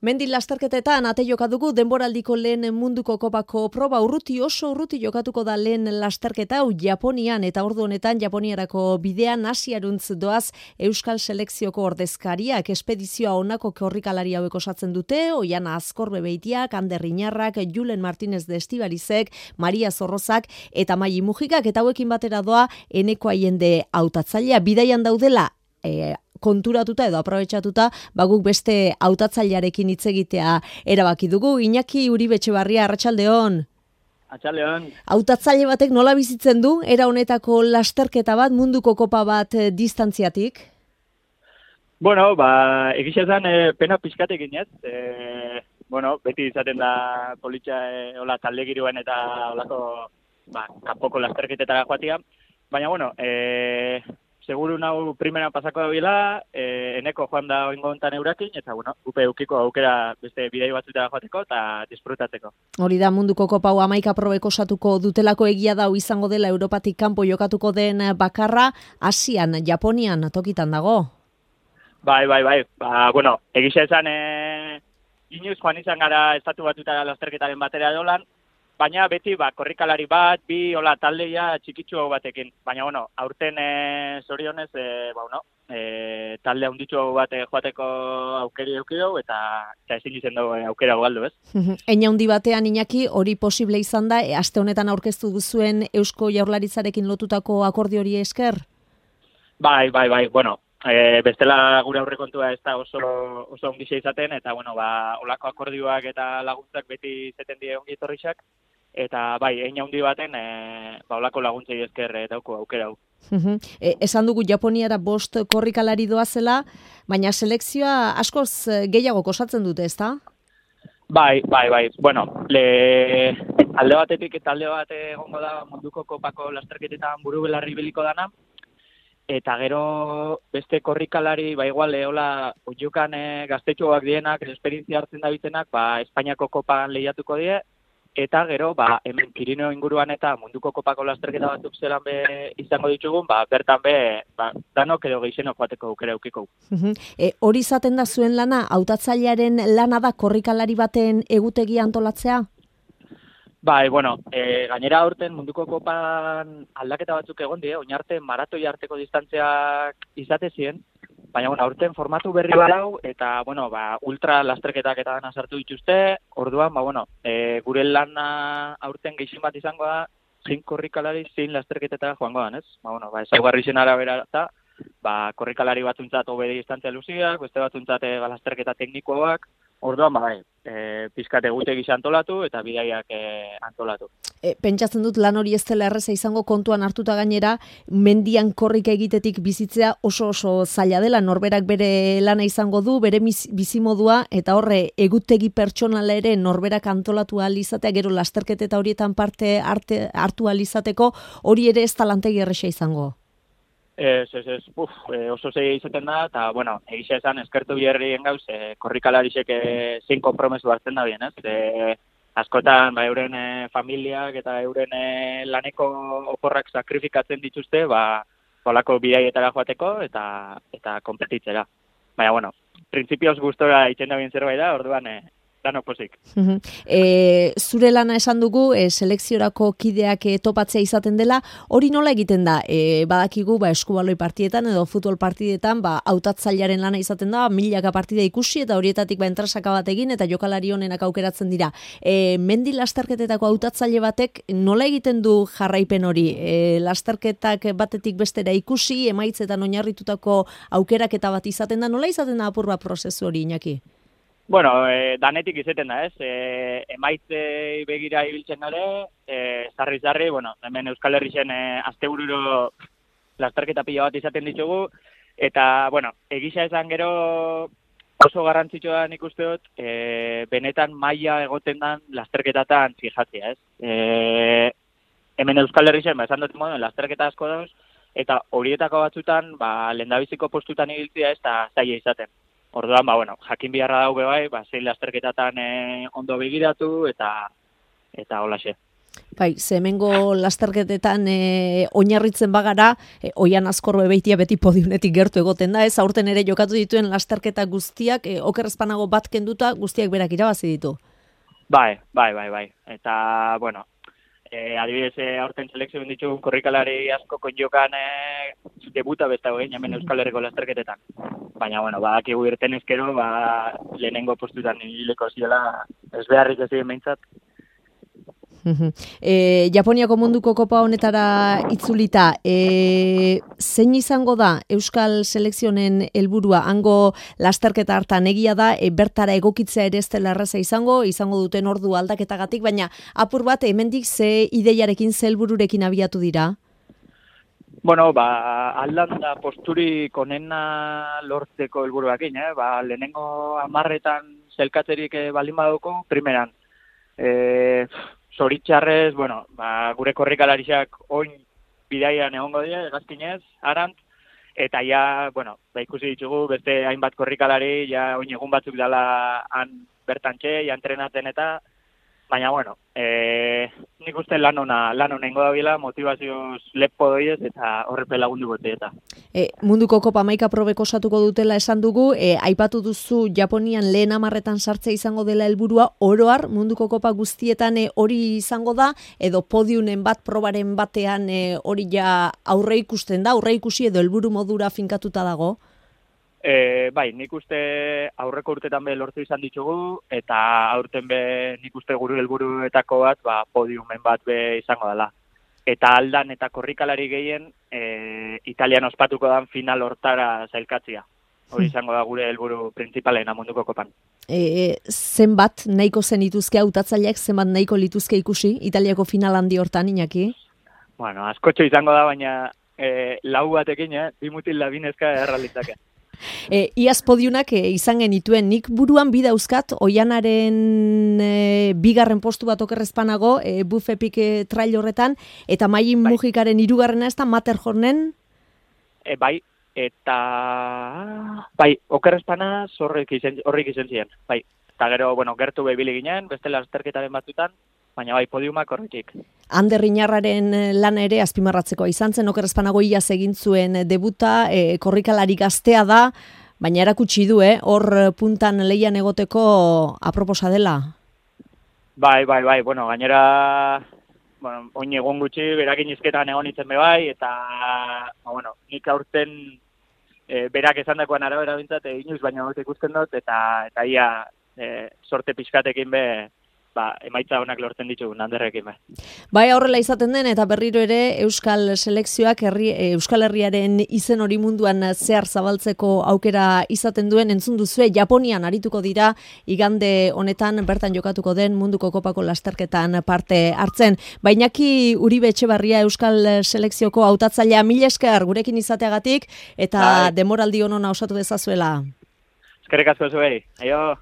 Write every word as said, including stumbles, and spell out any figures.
Mendi lasterketetan ate joka dugu denboraldiko lehen munduko kopako proba urruti oso urruti jokatuko da lehen lasterketa hau Japonian eta ordu honetan Japoniarako bidean Asiaruntz doaz Euskal Selekzioko ordezkariak espedizioa honako korrikalari hauek osatzen dute, Oiana Azkorbe Beitiak, Ander Iñarrak, Julen Martinez de Estibalizek, Maria Zorrozak eta Mai Mujikak eta hauekin batera doa Eneko Aiende hautatzailea bidaian daudela e, konturatuta edo aprobetxatuta, baguk beste hautatzailearekin hitz egitea erabaki dugu. Iñaki Uribe-Etxebarria, arratsaldeon. Arratsaldeon. Hautatzaile batek nola bizitzen du era honetako lasterketa bat, munduko kopa bat eh, distantziatik? Bueno, ba, egia esan e, pena pixkatekin ez. E, bueno, beti izaten da politxa e, hola talde giroen eta holako ba, kanpoko lasterketetara joatia. Baina, bueno, e, seguru nau primera pasako da bila, eh, eneko joan da oingo hontan eurakin, eta bueno, upe eukiko aukera beste bidei batzutara joateko eta disfrutatzeko. Hori da munduko kopa hau hamaika probek osatuko dutelako egia da izango dela Europatik kanpo jokatuko den bakarra, Asian, Japonian tokitan dago. Bai, bai, bai. Ba, bueno, egisa esan e, inoiz joan izan gara estatu batutara lasterketaren batera dolan, baina beti ba, korrikalari bat, bi hola taldeia txikitsu batekin. Baina, bueno, aurten e, zorionez, e, ba, bueno, e, talde handitxu bat e, joateko aukeri eukidu, eta, eta ezin izen dugu aukera galdu, ez? Eina handi batean, Iñaki, hori posible izan da, e, aste honetan aurkeztu duzuen Eusko Jaurlaritzarekin lotutako akordio hori esker? Bai, bai, bai, bueno, e, bestela gure aurrekontua ez da oso, oso ongixe izaten, eta, bueno, ba, olako akordioak eta laguntzak beti zeten die ongi etorrixak, eta bai, eina handi baten, e, ba, olako laguntzei esker e, dauko aukera hau. e, esan dugu Japoniara bost korrikalari doazela, baina selekzioa askoz gehiago osatzen dute, ezta? Bai, bai, bai. Bueno, le, alde batetik eta alde bat egongo da munduko kopako lasterketetan buru belarri biliko dana, eta gero beste korrikalari, ba igual, eola oiukan e, gaztetxoak dienak, esperientzia hartzen da bitenak, ba, Espainiako kopan lehiatuko die, eta gero, ba, hemen Pirineo inguruan eta munduko kopako lasterketa batzuk zelan be izango ditugun, ba, bertan be, ba, danok edo geixenok joateko aukera eukiko. E, hori izaten da zuen lana, hautatzailearen lana da korrikalari baten egutegi antolatzea? Bai, bueno, e, gainera aurten munduko kopan aldaketa batzuk egon die, oinarte maratoi arteko distantziak izate ziren, baina bueno, aurten formatu berri badau eta bueno, ba, ultra lasterketak eta dana sartu dituzte. Orduan, ba bueno, e, gure lana aurten gehien bat izango da, zein korrikalari zein lasterketetara joango da, ez? Ba bueno, ba ezaugarri zen arabera eta ba korrikalari batzuntzat hobe distantzia luziak, beste batzuntzat e, ba, lasterketa teknikoak. Orduan, ba, bai, e, pizkat egutegi antolatu eta bidaiak e, antolatu. E, pentsatzen dut lan hori ez dela erreza izango kontuan hartuta gainera, mendian korrika egitetik bizitzea oso oso zaila dela, norberak bere lana izango du, bere bizimodua, eta horre egutegi pertsonala ere norberak antolatu ahal izatea, gero lasterketa horietan parte arte, hartu ahal izateko, hori ere ez talantegi erresa izango. Ez, ez, ez, uf, e, oso zei izaten da, eta, bueno, egisa esan, eskertu biherrien gauz, e, korrikalarisek e, zein konpromesu hartzen da bien, ez? E, askotan, ba, euren e, familiak eta euren e, laneko oporrak sakrifikatzen dituzte, ba, holako bidaietara joateko eta eta konpetitzera. Baina, bueno, printzipioz gustora itzen da bien zerbait da, orduan, e, danok pozik. e, zure lana esan dugu, e, selekziorako kideak e, topatzea izaten dela, hori nola egiten da? E, badakigu, ba, eskubaloi partietan edo futbol partidetan, ba, hautatzailearen lana izaten da, milaka partida ikusi eta horietatik ba, entrasaka bat egin eta jokalari honenak aukeratzen dira. E, mendi lasterketetako hautatzaile batek nola egiten du jarraipen hori? E, lasterketak batetik bestera ikusi, emaitzetan oinarritutako aukeraketa bat izaten da, nola izaten da apur bat prozesu hori, Iñaki? Bueno, e, danetik izaten da, ez? E, emaitzei begira ibiltzen gare, e, zarri-zarri, bueno, hemen Euskal Herrixen e, astebururo lasterketa pila bat izaten ditugu, eta, bueno, egisa esan gero oso garrantzitsua da nik uste dut, e, benetan maila egoten dan lasterketatan fijatzea, ez? E, hemen Euskal Herrixen, ba, esan dut modu, lasterketa asko dauz, eta horietako batzutan, ba, lehendabiziko postutan ibiltzea ez da zaila izaten. Orduan, ba, bueno, jakin biharra daube bai, ba, zein lasterketatan e, ondo begiratu eta eta holaxe. Bai, zemengo lasterketetan e, oinarritzen bagara, e, Oian Azkorbe beitia beti podiunetik gertu egoten da, ez aurten ere jokatu dituen lasterketa guztiak, e, oker ezpanago bat kenduta guztiak berak irabazi ditu. Bai, bai, bai, bai. Eta, bueno, e, adibidez, e, aurten selekzioen ditugun korrikalari asko konjokan e, debuta bestago egin, hemen Euskal Herriko lasterketetan. Baina, bueno, badakigu irten ezkero, ba, lehenengo postutan hileko ziela, ez beharrik ez diren behintzat. E, Japoniako munduko kopa honetara itzulita, e, zein izango da Euskal selekzionen helburua? Hango lasterketa hartan egia da, e, bertara egokitzea ere ez dela erraza izango, izango duten ordu aldaketagatik, baina apur bat hemendik ze ideiarekin, ze helbururekin abiatu dira? Bueno, ba, aldan da posturik onena lortzeko helburuakin, eh? Ba, lehenengo hamarretan zelkatzerik eh, baldin baduko, primeran. Eh, Zoritxarrez, bueno, ba, gure korrikalariak oin bidaian egongo dira, egazkinez, arant, eta ja, bueno, ba, ikusi ditugu, beste hainbat korrikalari, ja oin egun batzuk dela han bertantxe, ja entrenatzen eta, baina, bueno, e, nik uste lan ona, lan onengo da bila, motivazioz lepo doiez, eta horrepe lagundu gote eta. E, munduko kopa maika probek osatuko dutela esan dugu, e, aipatu duzu Japonian lehen amarretan sartzea izango dela helburua, oroar munduko kopa guztietan e, hori izango da, edo podiunen bat, probaren batean e, hori ja aurre ikusten da, aurre ikusi edo helburu modura finkatuta dago? E, bai, nik uste aurreko urtetan be lortu izan ditugu, eta aurten be nik uste guru helburuetako bat, ba, podiumen bat be izango dela. Eta aldan eta korrikalari gehien, e, Italian ospatuko dan final hortara zailkatzia. Hori izango da gure helburu printzipalena munduko kopan. E, zenbat nahiko zen ituzke, hautatzaileak zenbat nahiko lituzke ikusi, Italiako final handi hortan, Iñaki? Bueno, askotxo izango da, baina e, lau batekin, eh? Bi mutil da binezka erralitzake. E, iaz podiunak e, izan genituen, nik buruan bi dauzkat, Oianaren e, bigarren postu bat okerrezpanago, e, bufepik e, trail horretan, eta Maien bai. Mujikaren hirugarrena ez da, Matterhornen? E, bai, eta... Bai, okerrezpana horrik izen, horrik izen ziren, bai. Eta gero, bueno, gertu behibili ginen, beste lasterketaren batzutan, baina bai, podiumak horretik. Ander Riñarraren lana ere azpimarratzekoa izan zen, okerrezpanago iaz egin zuen debuta, e, korrikalari gaztea da, baina erakutsi du, eh, hor puntan leian egoteko aproposa dela. Bai, bai, bai, bueno, gainera, bueno, oin egun gutxi, berakin izketan egon itzen be bai, eta, ba, bueno, nik aurten e, berak esan dakoan arabera bintzat, e, inoiz baina hori ikusten dut, eta, eta ia e, sorte pixkatekin be, ba, emaitza honak lortzen ditugu Anderrekin be. Bai, horrela izaten den, eta berriro ere Euskal selekzioak herri, Euskal Herriaren izen hori munduan zehar zabaltzeko aukera izaten duen, entzun duzue, Japonian arituko dira, igande honetan bertan jokatuko den munduko kopako lasterketan parte hartzen. Bainaki Uribe Etxebarria Euskal selekzioko hautatzailea, mila esker gurekin izateagatik, eta bai, demoraldi honona osatu dezazuela. Eskerrik asko zuei, aio!